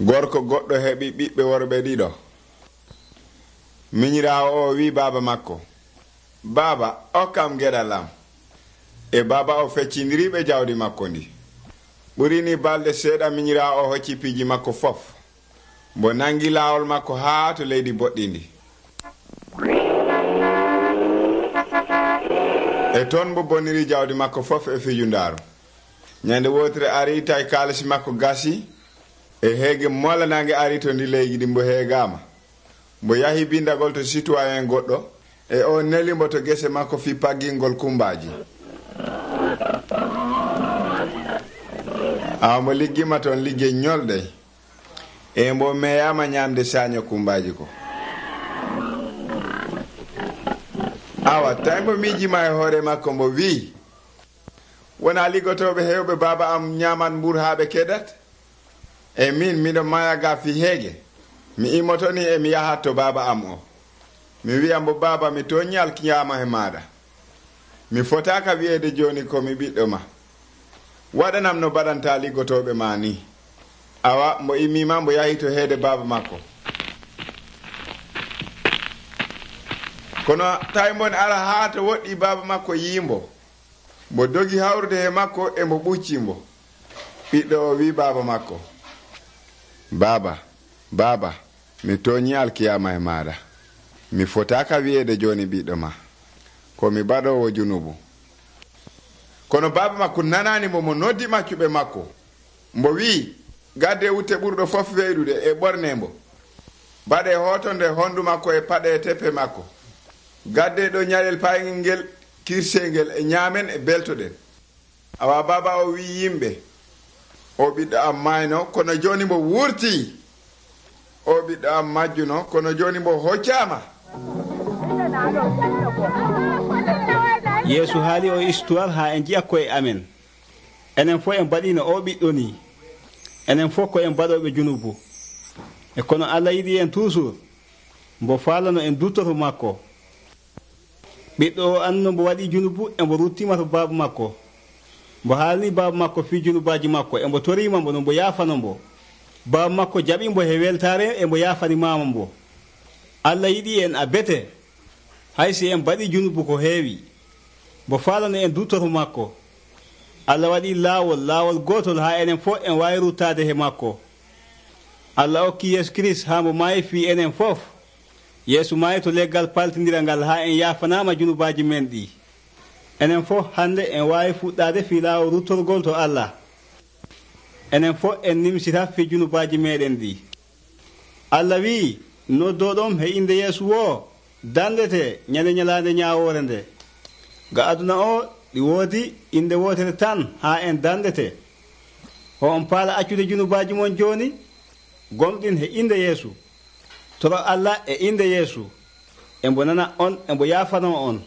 Gorko goɗɗo heɓi ɓiɓɓe worɓe ɗiɗo. Minyiraawo o wi baaba makko, baaba, okkam geɗal am. E baaba o feccindiriɓe jawdi makko ndi. ɓurini balɗe seeɗa minyiraawo o hocci piiji makko fof, mbo nangi laawol makko haa to leydi boɗɗindi. E toon mbo bonniri jawdi makko fof e fijundaaru. Nyande wotere ari tawi kaalisi makko gasi, e heege molanange ari to ndi leydi ɗi mbo heegama. Mbo yahi bindagol to citoyen goɗɗo, e o neli mbo to gese makko fi paggingol kumbaji. Awa mbo liggima toon ligge ñolɗe, e mbo meyama ñamde saño kumbaji ko. Awa tawi mbo miijima e hoore makko mbo wi, wona liggotoɓe hewɓe baaba am ñaman mbur haa ɓe keɗat? E min miɗo mayaga fi heege, mi immotoni e mi yahat to baaba am o. Mi wiya mbo, baaba, mi toñi alkiyama e maɗa. Mi fotaka wi'ede joni komi ɓiɗɗo ma. Waɗanam no baɗanta liggotoɓe ma ni. Awa mbo immima mbo yahi to heede baaba makko. Kono tawi mbon ara haa to woɗɗi baaba makko yimbo, mbo dogi hawrude e makko e mbo ɓucci mbo. Ɓiɗɗo o wi baaba makko, baaba, baaba, mi toñi alkiyama e maɗa. Mi fotaka wi'ede joni ɓiɗɗo ma, ko mi baɗowo junubu. Kono baaba makko nanani mo noddi maccuɓe makko. Mbo wi, gadde wutte ɓurɗo fof weydude e ɓorne mbo. Baɗe hotonde hondu makko e paɗe e teppe makko. Gadde ɗo ñalel payngel ngel kirsengel e ñaamen e beltoɗen. Awa baaba o wi yimɓe, o ɓiɗɗo am mayno kono joni mbo wurti. O ɓiɗɗo am majjuno kono joni mbo hoccama. Yeesu haali o histoire ha en jiya koye amen. Enen fof en mbaɗino o ɓiɗɗo ni. Enen fof ko en mbaɗoɓe junubu. E kono Allah yiɗi en toujours mbo faalano en duttoto makko. Ɓiɗɗo o anno mbo waɗi junubu e mbo ruttima to baaba makko. Mbo haalni baaba makko fi junubaji makko e mbo torima mbo no mbo yaafano mbo. Baaba makko jaɓi mbo he weltare e mbo yaafani mama mbo. Allah yiɗi en a bete, hay si en mbaɗi junubu ko heewi. Mbo faalano en duttoto makko. Allah waɗi laawol gotol ha enen fof en wawi ruttade he makko. Allah okki Yeesu Christ ha mbo maayi fi enen fof. Yeesu maayi to leggal paltidira ngal ha en yaafanama junubaji men ɗi. Enen fof hande en wawi fuɗɗade fi laawol ruttorgol to Allah. Enen fof en nimsita fi junubaji meɗen ɗi. Allah wi, noddoɗom he inde Yeesu wo, dandete ñande ñalande ñawore nde. Ga aduna o ɗi woodi inde wotere tan ha en dandete. Ho on paala accude junubaji mon joni, gomɗin he inde Yeesu. Toro Allah e inde Yeesu. Embo nana on, embo yaafano on.